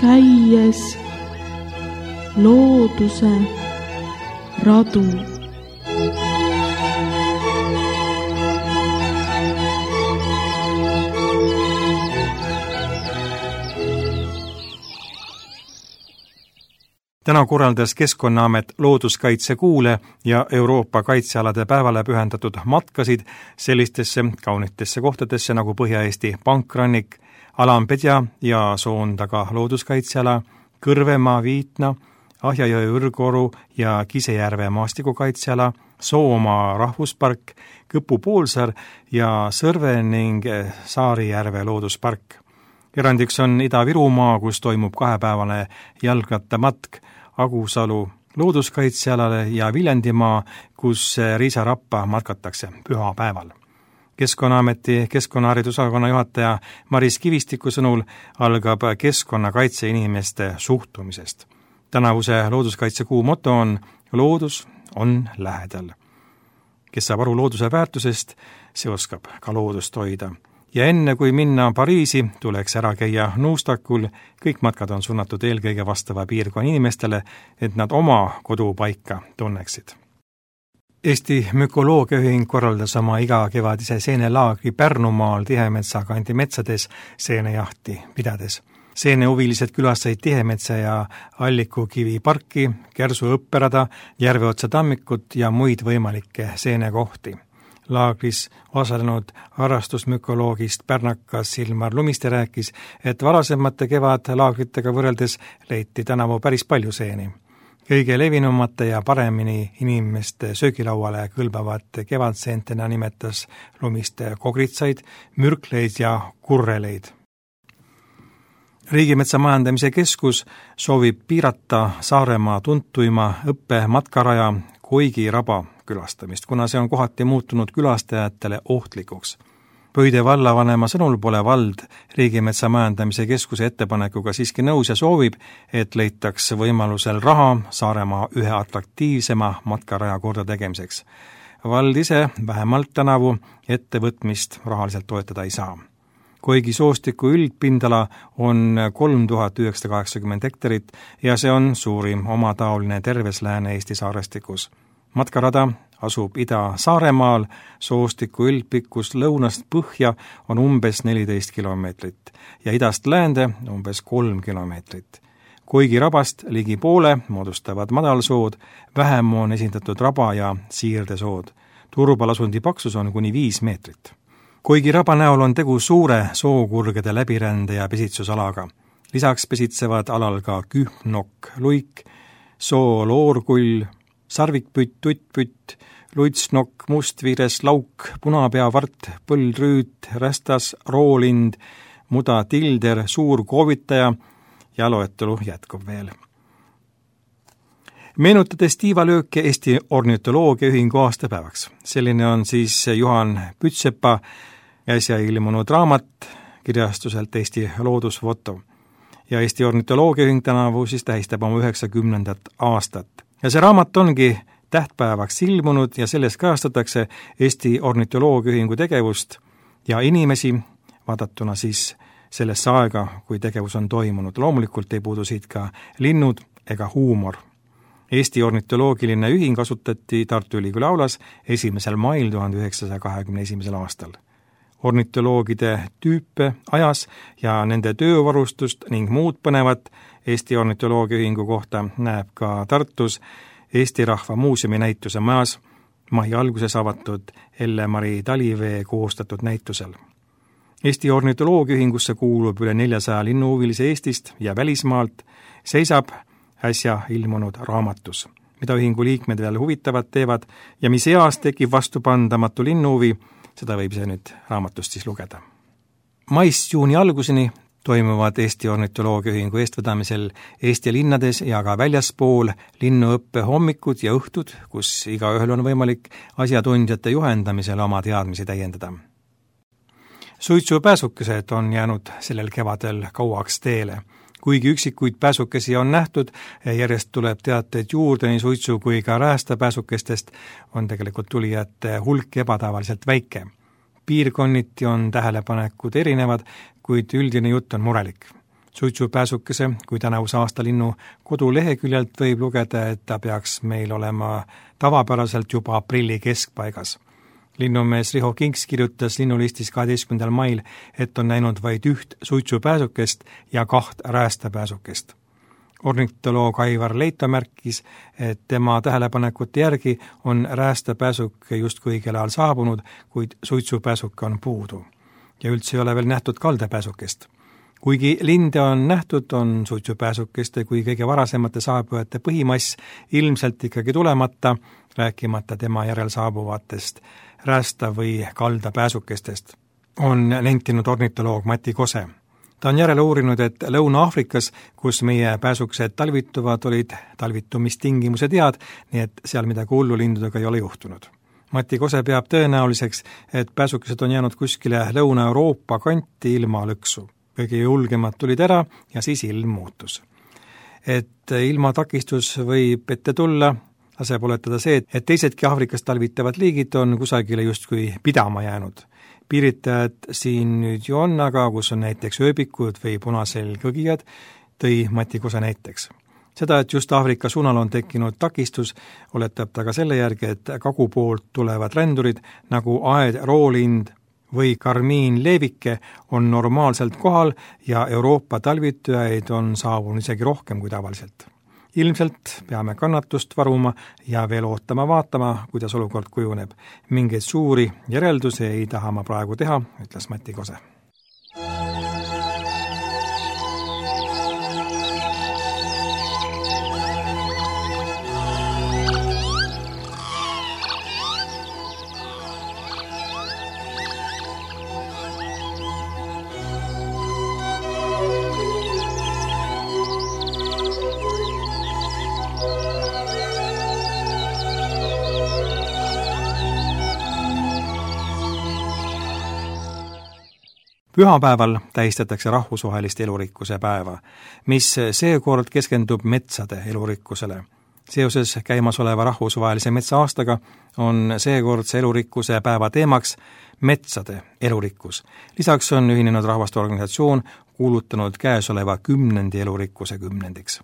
käies looduse radu. Täna korraldas Keskkonnaamet looduskaitsekuule ja Euroopa kaitsealade päevale pühendatud matkasid sellistesse kaunitesse kohtadesse nagu Põhja-Eesti Pankrannik, Alampedja ja Soontaga looduskaitseala, Kõrvemaa Viitna, Ahjajõe Õrgoru ja Kisejärve maastikukaitseala, Soomaa rahvuspark, Kõpu poolsaar ja Sõrve ning Saarijärve looduspark. Erandiks on Ida-Virumaa, kus toimub 2-päevane jalgrattamatk Agusalu looduskaitsealale ja Viljandimaa, kus riisarappa matkatakse pühapäeval. Keskkonnaameti keskkonnaharidusosakonna juhataja Maris Kivistiku sõnul algab keskkonnakaitse inimeste suhtumisest. Tänavuse looduskaitsekuu moto on loodus on lähedal. Kes saab aru looduse väärtusest, see oskab ka loodust hoida. Ja enne kui minna Pariisi, tuleks ära käia Nuustakul. Kõik matkad on suunatud eelkõige vastava piirkonna inimestele, et nad oma kodupaika tunneksid. Eesti Mükoloogiaühing korraldas oma igakevadise seenelaagri Pärnumaal Tihemetsa kandi metsades seenejahti pidades. Seenehuvilised külastasid Tihemetsa ja Allikukivi parki, Kersu õpperada, Järveotsa tammikut ja muid võimalikke seenekohti. Laagris osalenud harrastusmükoloogist pärnakas Ilmar Lumiste rääkis, et varasemate kevadlaagritega võrreldes leiti tänavu päris palju seeni. Kõige levinumate ja paremini inimeste söögilauale kõlbavad kevadseentena nimetas Lumiste kogritsaid, mürkleid ja kurreleid. Riigimetsa majandamise keskus soovib piirata Saaremaa tuntuima õppematkaraja Koigi raba külastamist, kuna see on kohati muutunud külastajatele ohtlikuks. Pöide vallavanema sõnul pole vald Riigimetsa majandamise keskuse ettepanekuga siiski nõus ja soovib, et leitaks võimalusel raha Saaremaa ühe atraktiivsema matkaraja korda tegemiseks. Vald ise vähemalt tänavu ettevõtmist rahaliselt toetada ei saa. Koigi soostiku üldpindala on 3980 hektarit ja see on suurim omataoline terves Lääne-Eesti saarestikus. Matkarada asub Ida-Saaremaal, soostiku üldpikkus lõunast põhja on umbes 14 kilomeetrit ja idast läände umbes 3 kilomeetrit. Koigi rabast ligi poole moodustavad madalsood, vähem on esindatud raba ja siirdesood. Turbalasundi paksus on kuni 5 meetrit. Koigi raba näol on tegu suure sookurgede läbirände ja pesitsusalaga. Lisaks pesitsevad alal ka kühmnokk, luik, sooloorkull, sarvikpütt, tuttpütt, luitsnokk, mustviires, lauk, punapeavart, põldrüüt, rästas, roolind, muda tilder, suur koovitaja ja loetelu jätkub veel. Meenutades tiivalööke Eesti Ornitoloogiaühingu aastapäevaks. Selline on siis Juhan Pütsepa äsja ilmunud raamat kirjastuselt Eesti loodusfoto. Ja Eesti Ornitoloogiaühing tänavu siis tähistab oma 90. aastat. Ja see raamat ongi tähtpäevaks ilmunud ja selles kajastatakse Eesti Ornitoloogiaühingu tegevust ja inimesi, vaadatuna siis sellesse aega, kui tegevus on toimunud. Loomulikult ei puudu siit ka linnud ega huumor. Eesti Ornitoloogiline ühing asutati Tartu Ülikooli aulas 1. mail 1921. aastal. Ornitoloogide tüüpe, ajas ja nende töövarustust ning muud põnevat Eesti Ornitoloogiaühingu kohta näeb ka Tartus Eesti Rahva Muuseumi näituse majas mai alguses avatud Elle-Mari Talivee koostatud näitusel. Eesti Ornitoloogiaühingusse kuulub üle 400 linnuhuvilise Eestist ja välismaalt, seisab äsja ilmunud raamatus, mida ühingu liikmed veel huvitavad teevad ja mis eas tekib vastupandamatu linnuhuvi, seda võib see nüüd raamatust siis lugeda. Maist juuni alguseni toimuvad Eesti Ornitoloogiaühingu eestvedamisel Eesti linnades ja ka väljaspool linnuõppe hommikud ja õhtud, kus igaühel on võimalik asjatundjate juhendamisel oma teadmisi täiendada. Suitsupääsukesed on jäänud sellel kevadel kauaks teele. Kuigi üksikuid pääsukesi on nähtud, järjest tuleb teateid juurde nii suitsu kui ka räästapääsukestest, on tegelikult tulijate hulk ebatavaliselt väike. Piirkonniti on tähelepanekud erinevad, kuid üldine jutt on murelik. Suitsupääsukese kui tänavuse aastalinnu koduleheküljelt võib lugeda, et ta peaks meil olema tavapäraselt juba aprilli keskpaigas. Linnumees Riho Kinks kirjutas linnulistis 12. mail, et on näinud vaid 1 suitsupääsukest ja 2 räästapääsukest. Ornitoloog Aivar Leito märkis, et tema tähelepanekute järgi on räästapääsuke justkui õigel ajal saabunud, kuid suitsupääsuke on puudu. Ja üldse ei ole veel nähtud kaldapääsukest. Kuigi linde on nähtud, on suitsupääsukeste kui kõige varasemate saabujate põhimass ilmselt ikkagi tulemata, rääkimata tema järel saabuvatest räästa- või kaldapääsukestest, on nentinud ornitoloog Mati Kose. Ta on järele uurinud, et Lõuna-Aafrikas, kus meie pääsukesed talvituvad, olid talvitumistingimused head, nii et seal midagi hullu lindudega ei ole juhtunud. Mati Kose peab tõenäoliseks, et pääsukesed on jäänud kuskile Lõuna-Euroopa kanti ilma lõksu. Kõige julgemad tulid ära ja siis ilm muutus. Et ilmatakistus võib ette tulla, laseb oletada see, et teisedki Aafrikas talvitavad liigid on kusagile justkui pidama jäänud. Piiritajad siin nüüd ju on, aga kus on näiteks ööbikud või punaselgõgijad, tõi Mati Kose näiteks. Seda, et just Aafrika suunal on tekkinud takistus, oletab ta ka selle järgi, et kagupoolt tulevad rändurid nagu aedroolind või karmiinleevike on normaalselt kohal ja Euroopa talvitujaid on saabunud isegi rohkem kui tavaliselt. Ilmselt peame kannatust varuma ja veel vaatama, kuidas olukord kujuneb. Mingeid suuri järeldusi ei taha ma praegu teha, ütles Mati Kose. Pühapäeval tähistatakse rahvusvahelist elurikkuse päeva, mis seekord keskendub metsade elurikkusele. Seoses käimasoleva rahvusvahelise metsaaastaga on seekordse elurikkuse päeva teemaks metsade elurikkus. Lisaks on Ühinenud Rahvaste Organisatsioon kuulutanud käesoleva 10. elurikkuse kümnendiks.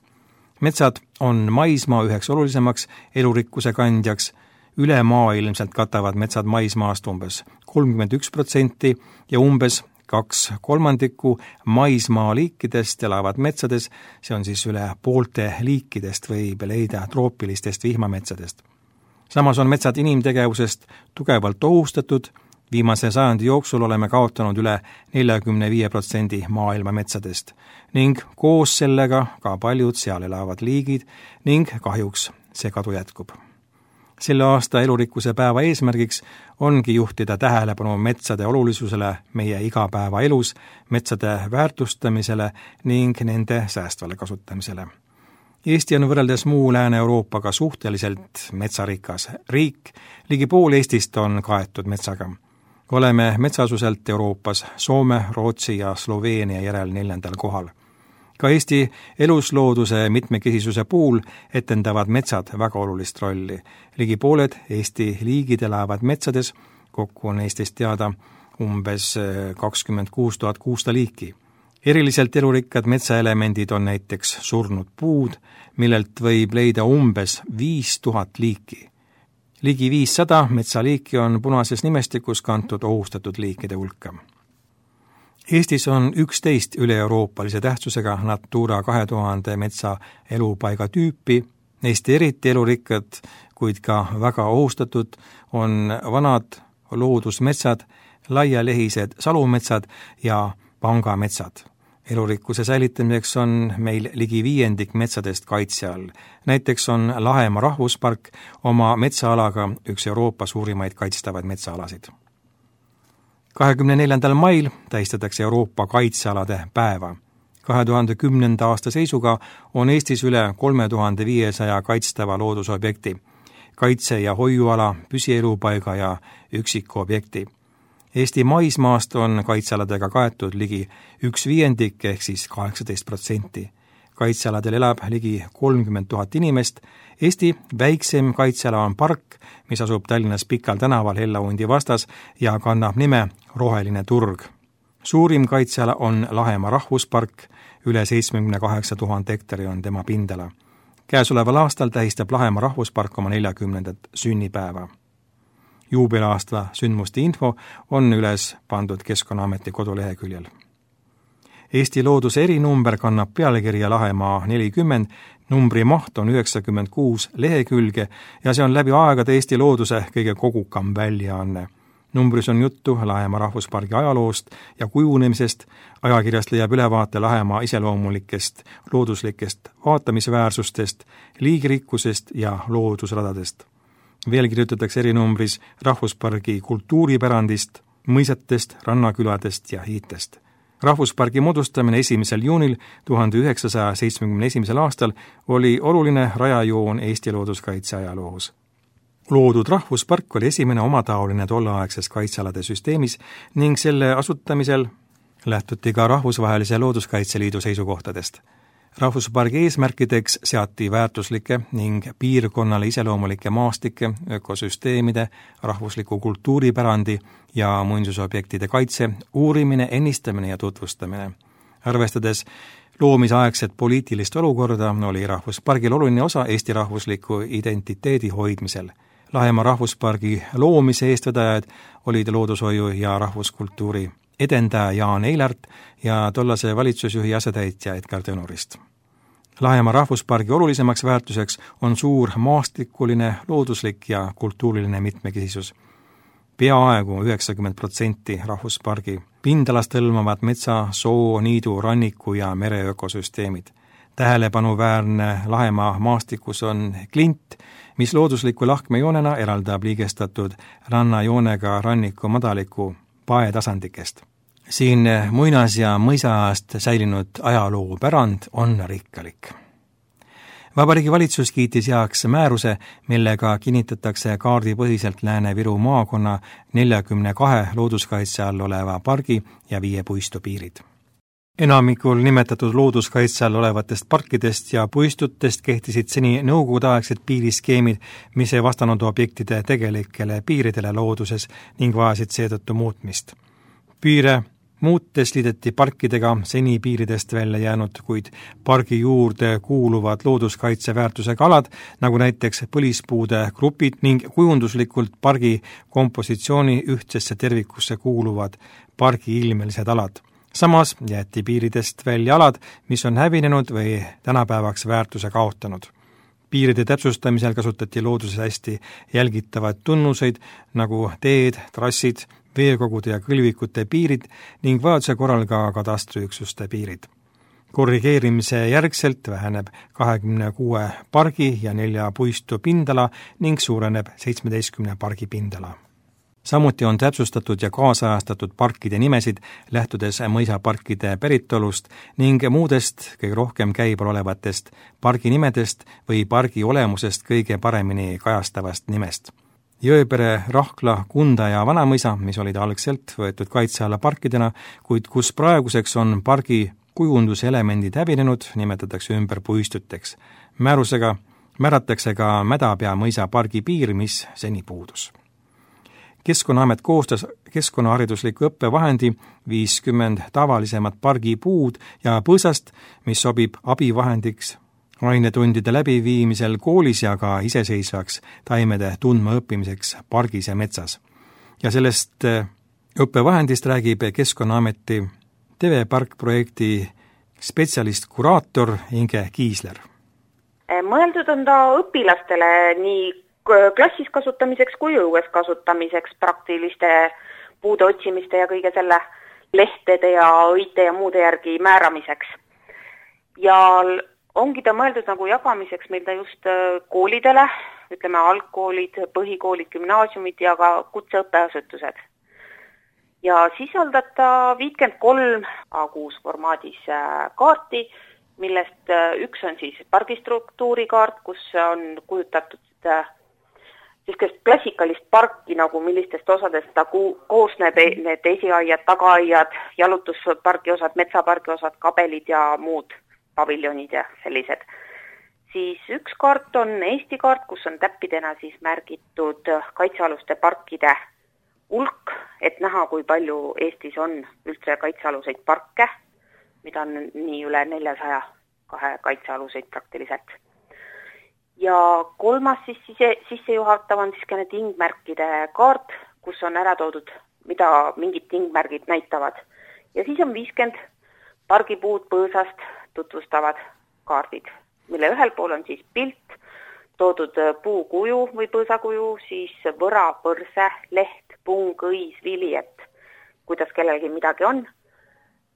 Metsad on maismaa üheks olulisemaks elurikkuse kandjaks. Ülemaailmselt katavad metsad maismaast umbes 31% ja umbes 2/3 maismaa liikidest elavad metsades, see on siis üle poolte liikidest võib leida troopilistest vihmametsadest. Samas on metsad inimtegevusest tugevalt ohustatud, viimase sajandi jooksul oleme kaotanud üle 45% maailma metsadest ning koos sellega ka paljud seal elavad liigid ning kahjuks see kadu jätkub. Selle aasta elurikkuse päeva eesmärgiks ongi juhtida tähelepanu metsade olulisusele meie igapäevaelus, metsade väärtustamisele ning nende säästvale kasutamisele. Eesti on võrreldes muu Lääne-Euroopaga suhteliselt metsarikas riik, ligi pool Eestist on kaetud metsaga. Oleme metsaasuselt Euroopas Soome, Rootsi ja Sloveenia järel 4. kohal. Ka Eesti eluslooduse mitmekesisuse puhul etendavad metsad väga olulist rolli. Ligi pooled Eesti liigid elavad metsades, kokku on Eestist teada umbes 26 600 liiki. Eriliselt elurikkad metsaelemendid on näiteks surnud puud, millelt võib leida umbes 5000 liiki. Ligi 500 metsaliiki on punases nimestikus kantud ohustatud liikide hulka. Eestis on 11 üle-euroopalise tähtsusega Natura 2000 metsa elupaiga tüüpi. Neist eriti elurikkad, kuid ka väga ohustatud on vanad loodusmetsad, laialehised salumetsad ja pangametsad. Elurikkuse säilitamiseks on meil ligi 5% metsadest kaitse all. Näiteks on Lahemaa rahvuspark oma metsaalaga üks Euroopa suurimaid kaitstavaid metsaalasid. 24. mail tähistatakse Euroopa kaitsealade päeva. 2010. aasta seisuga on Eestis üle 3500 kaitstava loodusobjekti, kaitse- ja hoiuala, püsielupaiga ja üksikobjekti. Eesti maismaast on kaitsealadega kaetud ligi 1/5 ehk siis 18%. Kaitsealadel elab ligi 30 000 inimest. Eesti väiksem kaitseala on park, mis asub Tallinnas Pikal tänaval Hellaundi vastas ja kannab nime Roheline turg. Suurim kaitseala on Lahemaa rahvuspark, üle 78 000 hektari on tema pindala. Käesoleval aastal tähistab Lahemaa rahvuspark oma 40. sünnipäeva. Juubelaasta sündmuste info on üles pandud Keskkonnaameti koduleheküljel. Eesti looduse erinumber kannab pealkirja Lahemaa 40, numbri maht on 96 lehekülge ja see on läbi aegade Eesti looduse kõige kogukam väljaanne. Numbris on juttu Lahemaa rahvuspargi ajaloost ja kujunemisest, ajakirjast leiab ülevaate Lahemaa iseloomulikest looduslikest vaatamisväärsustest, liigirikkusest ja loodusradadest. Veel kirjutatakse erinumbris rahvuspargi kultuuripärandist, mõisatest, rannaküladest ja hiitest. Rahvuspargi moodustamine 1. juunil 1971. aastal oli oluline rajajoon Eesti looduskaitse ajaloos. Loodud rahvuspark oli esimene omataoline tolleaegses kaitsealade süsteemis ning selle asutamisel lähtuti ka Rahvusvahelise Looduskaitseliidu seisukohtadest. Rahvuspargi eesmärkideks seati väärtuslike ning piirkonnale iseloomulike maastike, ökosüsteemide, rahvusliku kultuuripärandi ja muinsusobjektide kaitse, uurimine, ennistamine ja tutvustamine. Arvestades loomisaegset poliitilist olukorda oli rahvuspargil oluline osa Eesti rahvusliku identiteedi hoidmisel. Lahemaa rahvuspargi loomise eestvedajad olid loodushoiu ja rahvuskultuuri edendaja Jaan Eilart ja tollase valitsusjuhi asetäitja Edgar Tõnurist. Lahemaa rahvuspargi olulisemaks väärtuseks on suur maastikuline, looduslik ja kultuuriline mitmekesisus. Peaaegu 90% rahvuspargi pindalast hõlmavad metsa, soo, niidu, ranniku ja mere ökosüsteemid. Tähelepanuväärne Lahemaa maastikus on klint, mis loodusliku lahkmejoonena eraldab liigestatud rannajoonega ranniku madaliku paetasandikest. Siin muinas- ja mõisaajast säilinud ajaloopärand on rikkalik. Vabariigi Valitsus kiitis heaks määruse, millega kinnitatakse kaardipõhiselt Lääne-Viru maakonna 42 looduskaitse all oleva pargi ja 5 puistu piirid. Enamikul nimetatud looduskaitse all olevatest parkidest ja puistutest kehtisid seni nõukogudeaegsed piiriskeemid, mis ei vastanud objektide tegelikele piiridele looduses ning vajasid seetõttu muutmist. Piire muutes liideti parkidega seni piiridest välja jäänud, kuid pargi juurde kuuluvad looduskaitseväärtusega alad, nagu näiteks põlispuude grupid ning kujunduslikult pargi kompositsiooni ühtsesse tervikusse kuuluvad pargi ilmelised alad. Samas jäeti piiridest välja alad, mis on hävinenud või tänapäevaks väärtuse kaotanud. Piiride täpsustamisel kasutati looduses hästi jälgitavaid tunnuseid, nagu teed, trassid, veekogude ja kõlvikute piirid ning vajaduse korral ka katastriüksuste piirid. Korrigeerimise järgselt väheneb 26 pargi ja 4 puistu pindala ning suureneb 17 pargi pindala. Samuti on täpsustatud ja kaasajastatud parkide nimesid, lähtudes mõisaparkide päritolust ning muudest kõige rohkem käibel olevatest parginimedest või pargi olemusest kõige paremini kajastavast nimest. Jõepere, Rahkla, Kunda ja Vanamõisa, mis olid algselt võetud kaitse alla parkidena, kuid kus praeguseks on pargi kujunduselemendid hävinenud, nimetatakse ümber puistuteks. Määrusega määratakse ka Mädapea mõisa pargi piir, mis seni puudus. Keskkonnaamet koostas keskkonnaharidusliku õppevahendi 50 tavalisemat pargipuud ja põõsast, mis sobib abivahendiks ainetundide läbiviimisel koolis ja ka iseseisvaks taimede tundmaõppimiseks pargis ja metsas. Ja sellest õppevahendist räägib Keskkonnaameti TV-park-projekti spetsialist-kuraator Inge Kiisler. Mõeldud on ta õpilastele nii klassis kasutamiseks kui õues kasutamiseks, praktiliste puude otsimiste ja kõige selle lehtede ja õite ja muude järgi määramiseks. Ja ongi ta mõeldud nagu jagamiseks meil ta just koolidele, ütleme algkoolid, põhikoolid, gümnaasiumid ja ka kutseõppeasutused. Ja sisaldab ta 53 A6 formaadis kaarti, millest üks on siis pargistruktuurikaart, kus on kujutatud sellist klassikalist parki, nagu millistest osadest ta koosneb, need esiaiad, tagaaiad, jalutuspargi osad, metsapargi osad, kabelid ja muud paviljonid ja sellised. Siis üks kaart on Eesti kaart, kus on täppidena siis märgitud kaitsealuste parkide hulk, et näha, kui palju Eestis on üldse kaitsealuseid parke, mida on nii üle 400 kaitsealuseid praktiliselt. Ja kolmas siis sissejuhatav on siiski tingmärkide kaart, kus on ära toodud, mida mingid tingmärgid näitavad. Ja siis on 50 pargipuud põõsast tutvustavad kaardid, mille ühel pool on siis pilt, toodud puukuju või põõsakuju, siis võra, põrse, leht, pung, õis, vili, et kuidas kellelgi midagi on.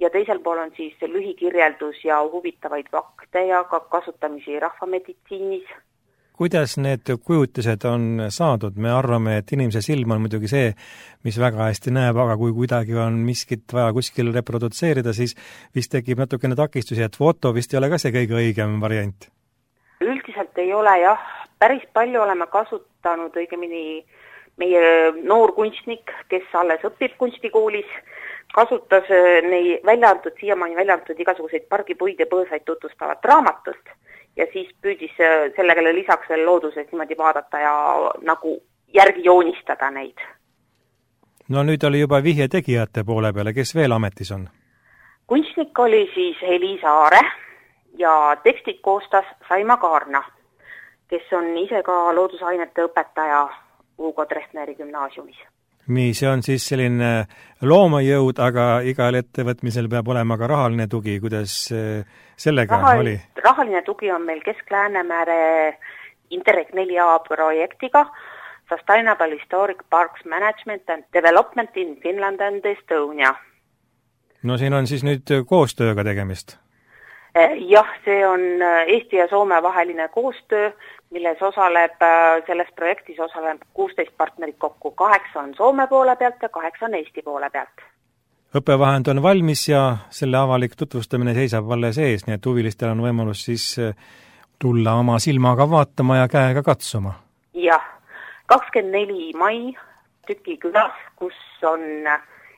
Ja teisel pool on siis lühikirjeldus ja huvitavaid fakte ja ka kasutamisi rahvameditsiinis. Kuidas need kujutised on saadud? Me arvame, et inimese silm on muidugi see, mis väga hästi näeb, aga kui kuidagi on miskit vaja kuskil reprodutseerida, siis vist tekib natukene takistusi, et foto vist ei ole ka see kõige õigem variant. Üldiselt ei ole jah, päris palju oleme kasutanud õigemini meie noor kunstnik, kes alles õpib kunstikoolis, kasutas siiamaani välja antud igasuguseid pargipuid ja põõsaid tutvustavat raamatust ja siis püüdis sellega lisaks veel looduses niimoodi vaadata ja nagu järgi joonistada neid. No nüüd oli juba vihje tegijate poole peale, kes veel ametis on? Kunstnik oli siis Eliisa Aare ja tekstid koostas Saima Kaarna, kes on ise ka loodusainete õpetaja Hugo Treffneri gümnaasiumis. See on siis selline loomajõud, aga igal ettevõtmisel peab olema ka rahaline tugi. Kuidas sellega oli? Rahaline tugi on meil Kesk-Läänemere Interreg 4A projektiga Sustainable Historic Parks Management and Development in Finland and Estonia. No siin on siis nüüd koostööga tegemist? Jah, see on Eesti ja Soome vaheline koostöö, milles selles projektis osaleb 16 partnerit kokku, 8 on Soome poole pealt ja 8 on Eesti poole pealt. Õppevahend on valmis ja selle avalik tutvustamine seisab alles ees, nii et huvilistel on võimalus siis tulla oma silmaga vaatama ja käega katsuma. Jah, 24 mai Tüki külas, kus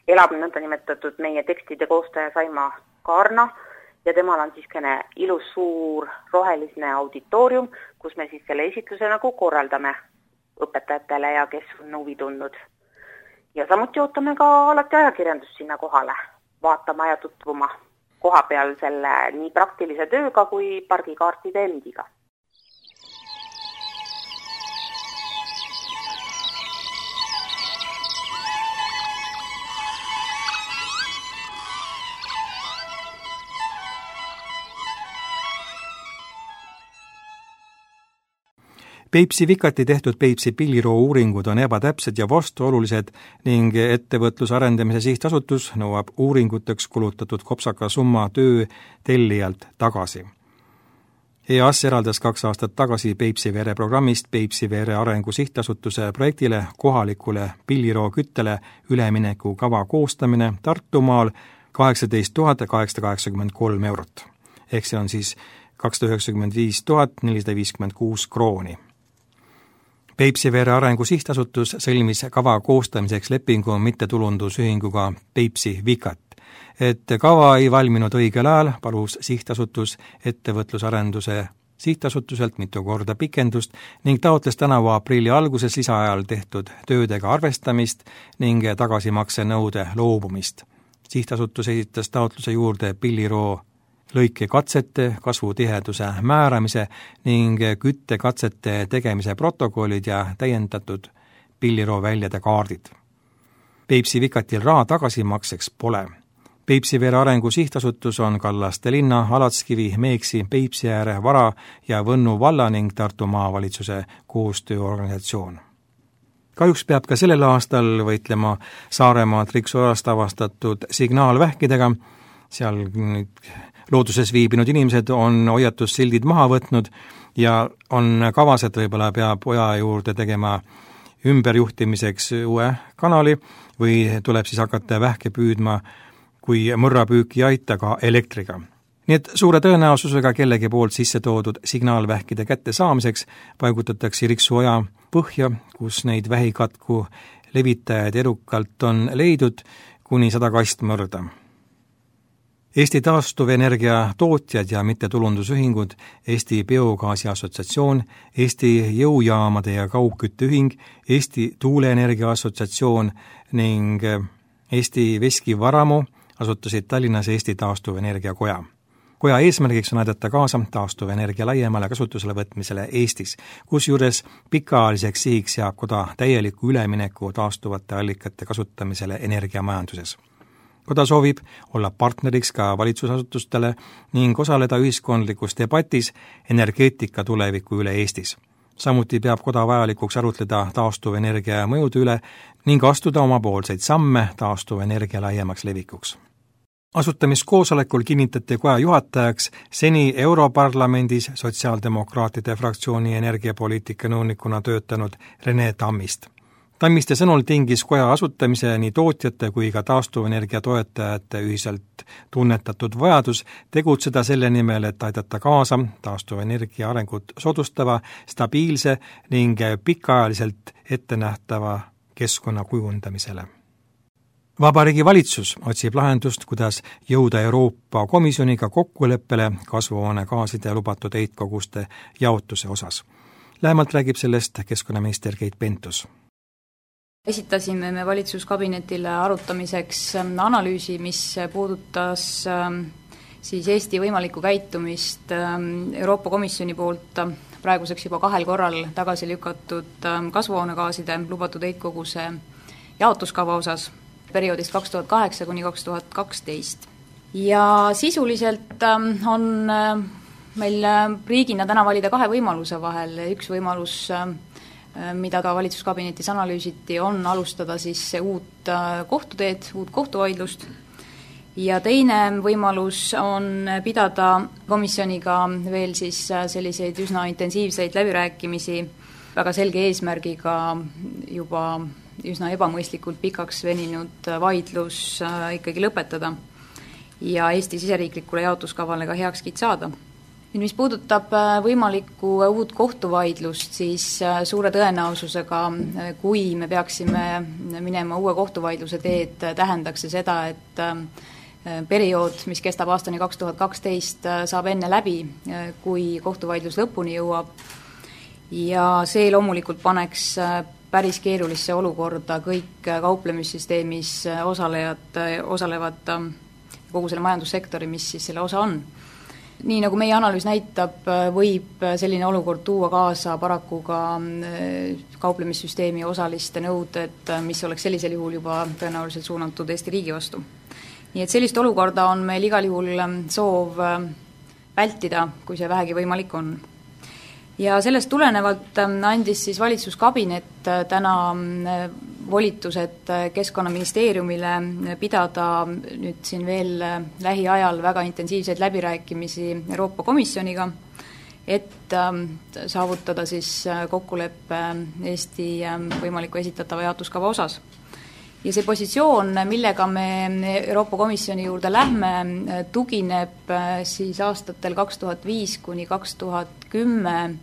elab nõndanimetatud meie tekstide koostaja Saima Kaarna, ja temal on siiskene ilus suur roheline auditoorium, kus me siis selle esitluse nagu korraldame õpetajatele ja kes on huvi tundnud. Ja samuti ootame ka alati ajakirjandust sinna kohale, vaatama ja tutvuma koha peal selle nii praktilise tööga kui pargikaartide endiga. Peipsi Vikati tehtud Peipsi pilliroo uuringud on ebatäpsed ja vastuolulised ning ettevõtluse arendamise sihtasutus nõuab uuringuteks kulutatud kopsaka summa töö tellijalt tagasi. EAS eraldas 2 aastat tagasi Peipsi Vere programmist Peipsi Vere arengu sihtasutuse projektile kohalikule pilliroo küttele ülemineku kava koostamine Tartumaal 18 883 eurot. Ehk see on siis 295 456 krooni. Peipsi Vere arengu sihtasutus sõlmis kava koostamiseks lepingu mittetulundusühinguga Peipsi Vikat. Et kava ei valminud õigel ajal, palus sihtasutus ettevõtlusarenduse sihtasutuselt mitu korda pikendust ning taotles tänavu aprilli alguses lisaajal tehtud töödega arvestamist ning tagasimakse nõude loobumist. Sihtasutus esitas taotluse juurde pilliroo lõikekatsete, kasvutiheduse määramise ning küttekatsete tegemise protokollid ja täiendatud pilliroo väljade kaardid. Peipsi Vikatil raha tagasimakseks pole. Peipsi Vere arengu sihtasutus on Kallaste linna, Alatskivi, Meeksi, Peipsi ääre, Vara ja Võnnu valla ning Tartu maavalitsuse koostööorganisatsioon. Kahjuks peab ka sellel aastal võitlema Saaremaa Triksorast avastatud signaalvähkidega. Seal looduses viibinud inimesed on hoiatussildid maha võtnud ja on kavas, et võib-olla peab oja juurde tegema ümberjuhtimiseks uue kanali või tuleb siis hakata vähke püüdma, kui mõrrapüüki ei aita ka elektriga. Nii et suure tõenäosusega kellegi poolt sisse toodud signaalvähkide kätte saamiseks paigutatakse Riksu oja põhja, kus neid vähikatku levitajaid edukalt on leidnud kuni 100 kastmõrda. Eesti taastuvenergia tootjad ja mittetulundusühingud, Eesti Biogaasi Assotsiatsioon, Eesti Jõujaamade ja Kaugkütteühing, Eesti Tuuleenergia Assotsiatsioon ning Eesti Veski Varamu asutasid Tallinnas Eesti Taastuvenergia Koja. Koja eesmärgiks on aidata kaasa taastuvenergia laiemale kasutusele võtmisele Eestis, kusjuures pikaajaliseks sihiks seab koda täieliku ülemineku taastuvate allikate kasutamisele energiamajanduses. Koda soovib olla partneriks ka valitsusasutustele ning osaleda ühiskondlikus debatis energeetika tuleviku üle Eestis. Samuti peab koda vajalikuks arutleda taastuvenergia mõjude üle ning astuda omapoolseid samme taastuvenergia laiemaks levikuks. Asutamiskoosolekul kinnitati koja juhatajaks seni Europarlamendis sotsiaaldemokraatide fraktsiooni energiapoliitika nõunikuna töötanud Rene Tammist. Tammiste sõnul tingis koja asutamise nii tootjate kui ka taastuvenergia toetajate ühiselt tunnetatud vajadus tegutseda selle nimel, et aidata kaasa taastuvenergia arengut soodustava, stabiilse ning pikaajaliselt ettenähtava keskkonna kujundamisele. Vabariigi valitsus otsib lahendust, kuidas jõuda Euroopa Komisjoniga kokkuleppele kasvuhoonegaaside lubatud heitkoguste jaotuse osas. Lähemalt räägib sellest keskkonnaminister Keit Pentus. Esitasime me valitsuskabinetile arutamiseks analüüsi, mis puudutas siis Eesti võimalikku käitumist Euroopa Komisjoni poolt praeguseks juba 2 korral tagasi lükatud kasvuhoonegaaside lubatud heitkoguse jaotuskava osas perioodist 2008 kuni 2012. Ja sisuliselt on meil riigina täna valida 2 võimaluse vahel. Üks võimalus, mida ka valitsuskabinetis analüüsiti, on alustada siis uut kohtuteed, uut kohtuvaidlust. Ja teine võimalus on pidada komisjoniga veel siis selliseid üsna intensiivseid läbirääkimisi väga selge eesmärgiga juba üsna ebamõistlikult pikaks veninud vaidlus ikkagi lõpetada ja Eesti siseriiklikule jaotuskavale ka heakskiit saada. Mis puudutab võimalikku uut kohtuvaidlust, siis suure tõenäosusega, kui me peaksime minema uue kohtuvaidluse teed, tähendaks see seda, et periood, mis kestab aastani 2012, saab enne läbi, kui kohtuvaidlus lõpuni jõuab ja see loomulikult paneks päris keerulisse olukorda kõik kauplemissüsteemis osalevad kogu selle majandussektori, mis siis selle osa on. Nii nagu meie analüüs näitab, võib selline olukord tuua kaasa paraku ka kauplemissüsteemi osaliste nõuded, mis oleks sellisel juhul juba tõenäoliselt suunatud Eesti riigi vastu. Nii et sellist olukorda on meil igal juhul soov vältida, kui see vähegi võimalik on. Ja sellest tulenevalt andis siis valitsuskabinet täna volitused Keskkonnaministeeriumile pidada nüüd siin veel lähiajal väga intensiivseid läbirääkimisi Euroopa Komisjoniga, et saavutada siis kokkuleppe Eesti võimaliku esitatava jaotuskava osas. Ja see positsioon, millega me Euroopa Komisjoni juurde lähme, tugineb siis aastatel 2005 kuni 2010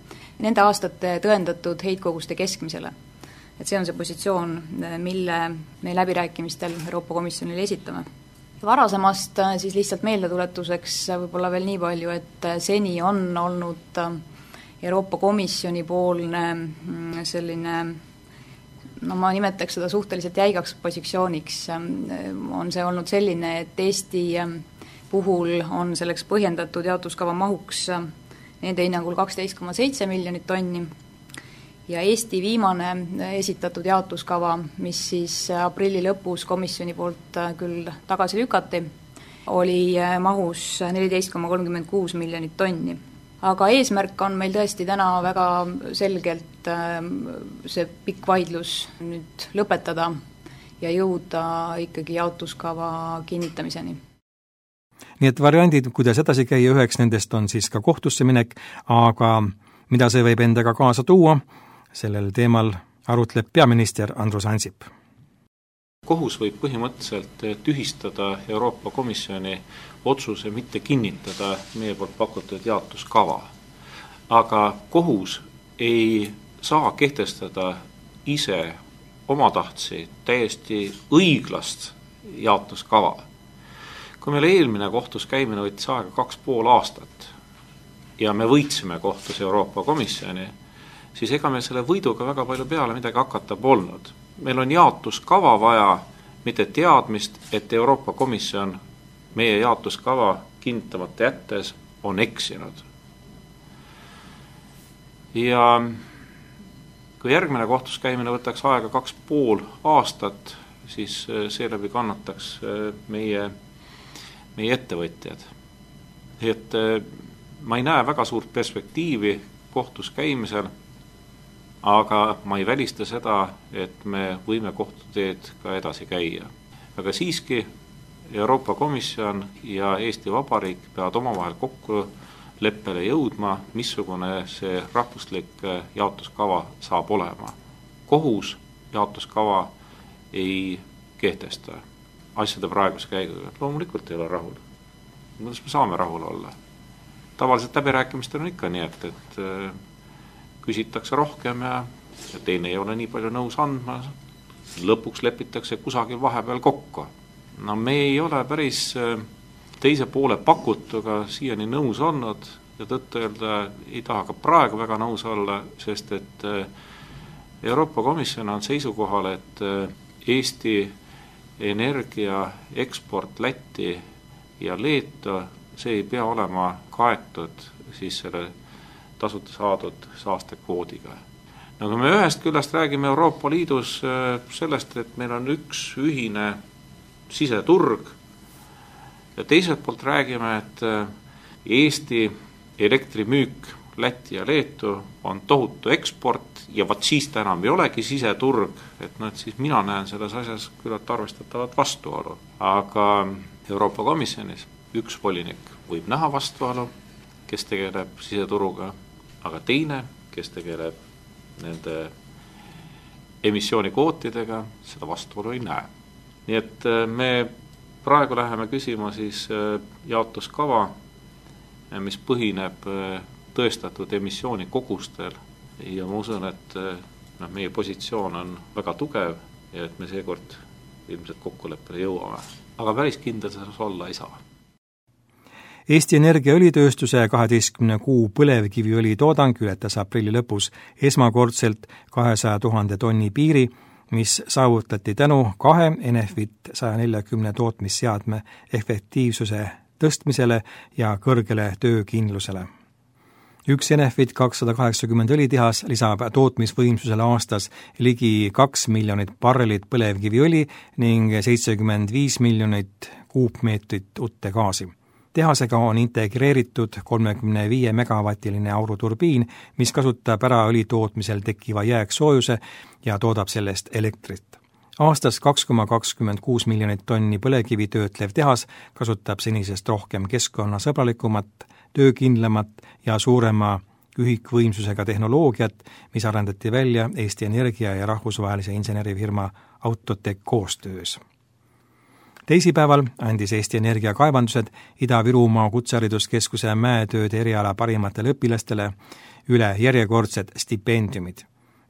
nende aastate tõendatud heitkoguste keskmisele. Et see on see positsioon, mille me läbirääkimistel Euroopa Komisjonile esitame. Varasemast siis lihtsalt meeldetuletuseks võib-olla veel nii palju, et seni on olnud Euroopa Komisjoni poolne selline ma nimetaks seda suhteliselt jäigaks positsiooniks, on see olnud selline, et Eesti puhul on selleks põhjendatud jaotuskava mahuks nende hinnangul 12,7 miljonit tonni ja Eesti viimane esitatud jaotuskava, mis siis aprilli lõpus komisjoni poolt küll tagasi lükati, oli mahus 14,36 miljonit tonni. Aga eesmärk on meil tõesti täna väga selgelt see pikk vaidlus nüüd lõpetada ja jõuda ikkagi jaotuskava kinnitamiseni. Nii et variandid, kuidas edasi käia, üheks nendest on siis ka kohtusse minek, aga mida see võib endaga kaasa tuua, sellel teemal arutleb peaminister Andrus Ansip. Kohus võib põhimõtteliselt tühistada Euroopa Komisjoni otsuse mitte kinnitada meie poolt pakutud jaotuskava. Aga kohus ei saa kehtestada ise omatahtsi täiesti õiglast jaotuskava. Kui meil eelmine kohtus käimine võttis aega 2,5 aastat ja me võitsime kohtus Euroopa Komisjoni, siis ega me selle võiduga väga palju peale midagi hakata polnud. Meil on jaotuskava vaja mitte teadmist, et Euroopa Komisjon meie jaotuskava kinnitamata jättes on eksinud. Ja kui järgmine kohtuskäimine võtaks aega 2,5 aastat, siis seeläbi kannataks meie ettevõtjad. Et ma ei näe väga suurt perspektiivi kohtus käimisel, aga ma ei välista seda, et me võime kohtuteed ka edasi käia. Aga siiski Euroopa Komisjon ja Eesti Vabariik peavad omavahel kokkuleppele jõudma, missugune see rahvuslik jaotuskava saab olema. Kohus jaotuskava ei kehtesta asjade praeguse käiguga. Loomulikult ei ole rahul. Kuidas me saame rahul olla? Tavaliselt läbirääkimistel on ikka nii, et küsitakse rohkem ja teine ei ole nii palju nõus andma. Lõpuks lepitakse kusagil vahepeal kokku. No me ei ole päris teise poole pakutuga siiani nõus olnud ja tõtt öelda ei taha ka praegu väga nõus olla, sest et Euroopa Komisjon on seisukohal, et Eesti energia eksport Lätti ja Leetu, see ei pea olema kaetud siis selle tasuta saadud saastekvoodiga. No kui me ühest küljest räägime Euroopa Liidus sellest, et meil on üks ühine siseturg ja teiselt poolt räägime, et Eesti elektrimüük Lätti ja Leetu on tohutu eksport ja vaat siis ta enam ei olegi siseturg, et siis mina näen selles asjas küllalt arvestatavat vastuolu. Aga Euroopa Komisjonis üks volinik võib näha vastuolu, kes tegeleb siseturuga, aga teine, kes tegeleb nende emissioonikvootidega, seda vastuolu ei näe. Nii et me praegu läheme küsima siis jaotuskava, mis põhineb tõestatud emissioonikogustel ja ma usun, et meie positsioon on väga tugev ja et me seekord ilmselt kokkuleppele jõuame. Aga päris kindel selles olla ei saa. Eesti Energia õlitööstuse 12 kuu põlevkiviõli toodang ületas aprilli lõpus esmakordselt 200 000 tonni piiri, mis saavutati tänu 2 Enefit 140 tootmisseadme efektiivsuse tõstmisele ja kõrgele töökindlusele. Üks Enefit 280 õlitehas lisab tootmisvõimsusele aastas ligi 2 miljonit barrelit põlevkiviõli ning 75 miljonit kuupmeetrit utte gaasi. Tehasega on integreeritud 35 megavatiline auruturbiin, mis kasutab ära õli tootmisel tekkiva jääksoojuse ja toodab sellest elektrit. Aastas 2,26 miljonit tonni põlevkivi töötlev tehas kasutab senisest rohkem keskkonnasõbralikumat, töökindlamat ja suurema ühikvõimsusega tehnoloogiat, mis arendati välja Eesti Energia ja rahvusvahelise insenerifirma Autotech koostöös. Teisipäeval andis Eesti Energia kaevandused Ida-Virumaa Kutsehariduskeskuse mäetööde eriala parimatele õpilastele üle järjekordsed stipendiumid.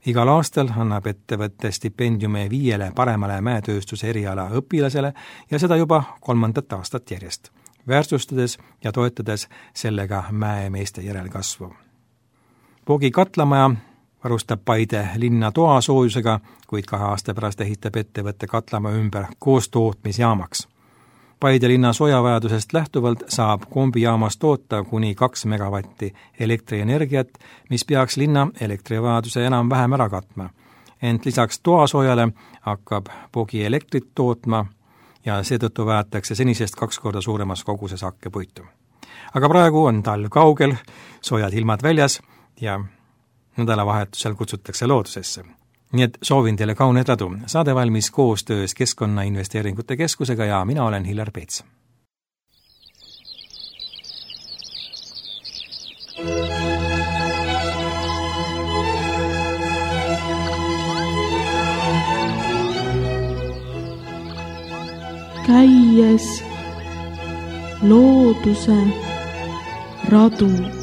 Igal aastal annab ettevõtte stipendiume 5 paremale mäetööstuse eriala õpilasele ja seda juba 3. aastat järjest, väärtustades ja toetades sellega mäemeeste järelkasvu. Poogi katlamaja varustab Paide linna toasoojusega, kuid 2 aasta pärast ehitab ettevõtte katlamaa ümber koostootmisjaamaks. Paide linna soojavajadusest lähtuvalt saab kombijaamas toota kuni 2 megavatti elektrienergiat, mis peaks linna elektrivajaduse enam-vähem ära katma. Ent lisaks toasoojale hakkab Poogi elektrit tootma ja seetõttu vajatakse senisest 2 korda suuremas koguses hakkepuitu. Aga praegu on talv kaugel, soojad ilmad väljas ja nädalavahetusel kutsutakse loodusesse. Nii et soovin teile kauneid radu. Saade valmis koostöös Keskkonnainvesteeringute Keskusega ja mina olen Hillar Peets. Käies looduse radu.